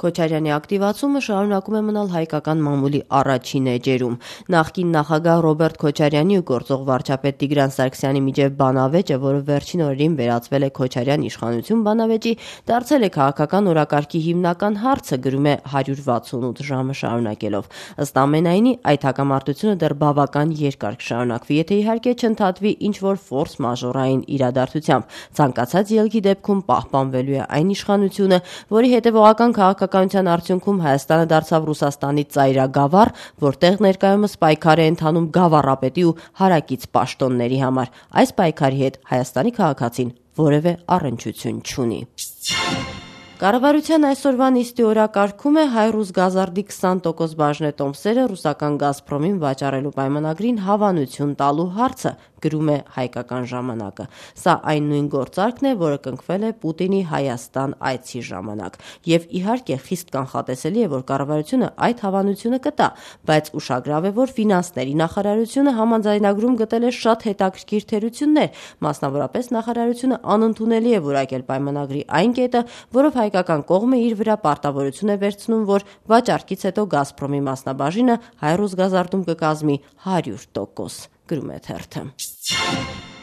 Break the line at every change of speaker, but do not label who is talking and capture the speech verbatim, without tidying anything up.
Քոչարյանի ակտիվացումը շարունակում է մնալ հայկական մամուլի առաջին էջերում։ Նախկին նախագահ Ռոբերտ Քոչարյանի ու գործող վարչապետ Տիգրան Սարգսյանի միջև բանավեճը, որը վերջին օրերին վերածվել է Քոչարյան իշխանություն բանավեճի, դարձել է քաղաքական օրակարգի հիմնական հարցը, գրում է հարյուր վաթսունութ ժամը շարունակելով։ Ըստ ամենայնի, այդ հակամարտությունը դեռ բավական երկար կշարունակվի, եթե իհարկե չընդհատվի ինչ-որ ֆորս մաժորային իրադարձությամբ։ Ցանկացած ելքի դեպքում պահպանվելու է այն իշխանությունը, որի հետևողական քաղաքականության արդյունքում Հայաստանը դարձավ Ռուսաստանի ծայրագավառ, որտեղ ներկայումս պայքար է ընթանում գավառապետի ու հարակից պաշտոնների համար։ Այս պայքարի հետ Հայաստանի քաղաքացին որևէ առնչություն չունի։ Կառավարության այսօրվա նիստի օրակարգում է Հայրուզ Գազարդի քսան տոկոս բաժնետոմսերը ռուսական Գազպրոմին վաճառելու պայմանագրին հավանություն տալու հարցը, գրում է Հայկական ժամանակը։ Սա այն նույն գործարքն է, որը կնքվել է Պուտինի Հայաստան այցի ժամանակ։ Եվ իհարկե խիստ կանխատեսելի է, որ կառավարությունը այդ հավանությունը կտա, բայց ուշագրավ է, որ ֆինանսների նախարարությունը համաձայնագրում գտել է շատ հետաքրքիր թերություններ, մասնավորապես նախարարությունը անընդունելի է որակել պայմանագրի այն կետը, որով հայկական կողմը իր վրա պարտավորություն է վերցնում, որ վաճառքից հետո Գազպրոմի մասնաբաժինը Հայրուզ Գազարդում կկազմի հարյուր տոկոս, գրում է թերթը։